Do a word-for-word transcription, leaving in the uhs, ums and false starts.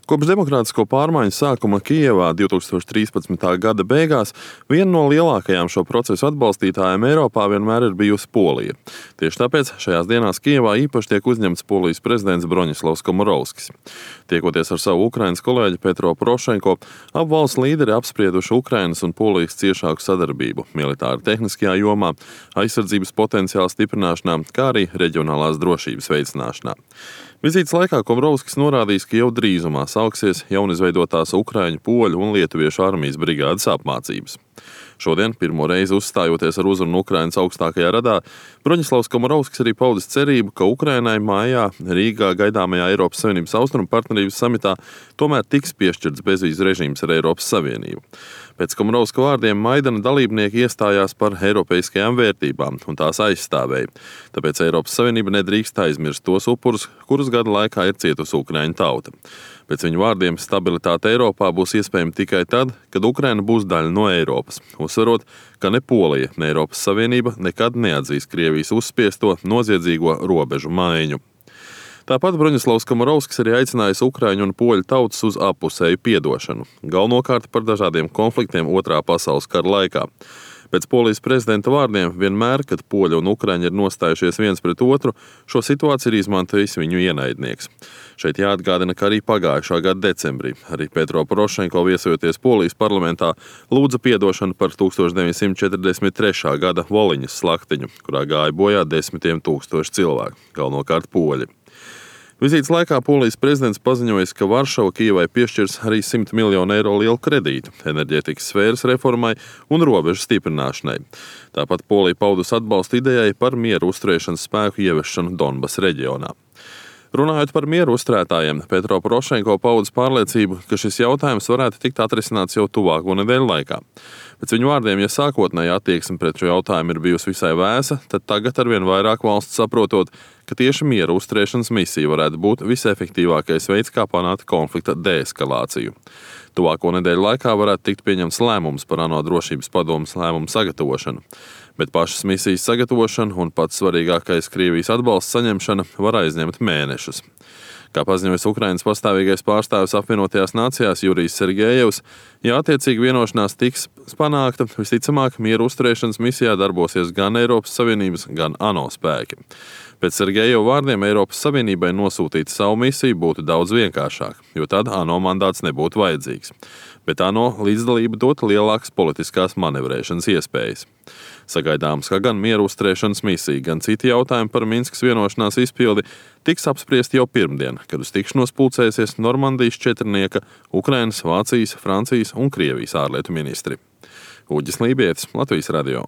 Kopš demokrātisko pārmaiņu sākuma Kijevā divs tūkstoši trīspadsmitā gada beigās viena no lielākajām šo procesu atbalstītājiem Eiropā vienmēr ir bijusi Polija. Tieši tāpēc šajās dienās Kijevā īpaši tiek uzņemts Polijas prezidents Broņislavs Komorovskis. Tiekoties ar savu Ukrainas kolēģi Petro Porošenko, abu valstu līderi apsprieduši Ukrainas un Polijas ciešāku sadarbību militāri tehniskajā jomā, aizsardzības potenciāla stiprināšanā, kā arī reģionālās drošības veicināšanā. Vizītes laikā Komorovskis norādījis, ka jau drīzumā sāksies jaunizveidotās ukraiņu, poļu un lietuviešu armijas brigādes apmācības. Šodien, pirmo reizi uzstājoties ar uzrunu Ukrainas augstākajā radā, Broņislavs Komorovskis arī paudis cerību, ka Ukrainai mājā Rīgā gaidāmajā Eiropas Savienības austrumu partnerības samitā tomēr tiks piešķirts bezvīzu režīms ar Eiropas Savienību. Pēc Komorovska vārdiem Maidana dalībnieki iestājās par eiropeiskajām vērtībām un tās aizstāvēja. Tāpēc Eiropas Savienība nedrīkst aizmirst tos upurus, kurus gadu laikā ir cietusi ukraiņu tauta. Pēc viņu vārdiem stabilitāte Eiropā būs iespējama tikai tad, kad Ukraina būs daļa no Eiropas, uzsverot, ka ne Polija, ne Eiropas Savienība nekad neatzīs Krievijas uzspiesto noziedzīgo robežu maiņu. Tāpat Broņislavs Komorovskis arī aicinājis ukraiņu un poļu tautas uz appusēju piedošanu, galvenokārt par dažādiem konfliktiem Otrā pasaules kara laikā. Pēc Polijas prezidenta vārdiem, vienmēr, kad poļi un ukraiņi ir nostājušies viens pret otru, šo situāciju ir izmantojis viņu ienaidnieks. Šeit jāatgādina, ka arī pagājušā gada decembrī arī Petro Porošenko viesojoties Polijas parlamentā lūdza piedošanu par tūkstoš deviņsimt četrdesmit trešā gada Voliņas slaktiņu, kurā gāja bojā desmitiem tūkstoši cilvēku, galvenokārt poļi. Vizītes laikā Polijas prezidents paziņojis, ka Varšava Kijevai piešķirs arī simt miljonu eiro lielu kredītu enerģētikas sfēras reformai un robežu stiprināšanai. Tāpat Polija paudus atbalstu idejai par mieru uzturēšanas spēku ieviešanu Donbas reģionā. Runājot par mieru uzturētājiem, Petro Porošenko paudis pārliecību, ka šis jautājums varētu tikt atrisināts jau tuvāko nedēļu laikā. Pēc viņu vārdiem, ja sākotnēji attieksme pret šo jautājumu ir bijusi visai vēsa, tad tagad arvien vairāk valsts saprotot, ka tieši miera uzturēšanas misija varētu būt visefektīvākais veids, kā panākt konflikta deeskalāciju. Tuvāko nedēļu laikā varētu tikt pieņemts lēmums par ANO drošības padomes lēmumu sagatavošanu, bet pašas misijas sagatavošana un pats svarīgākais Krievijas atbalsts saņemšana var aizņemt mēnešus. Kā paziņojas Ukrainas pastāvīgais pārstāvis apvienotajās nācijās Jurijs Sergejevs, ja attiecīgi vienošanās tiks panākta, visticamāk mieru uzturēšanas misijā darbosies gan Eiropas Savienības, gan ANO spēki. Pēc Sergejeva vārdiem Eiropas Savienībai nosūtīt savu misiju būtu daudz vienkāršāk, jo tad ANO mandāts nebūtu vajadzīgs. Bet ANO līdzdalība dot lielākas politiskās manevrēšanas iespējas. Sagaidāms, ka gan mieru uzturēšanas misija, gan citi jautājumi par Minskas vienošanās izpildi tiks apspriesti jau pirmdien, kad uz tikšanos pulcēsies Normandijas četrnieka, Ukrainas, Vācijas, Francijas un Krievijas ārlietu ministri. Uģis Lībietis, Latvijas radio.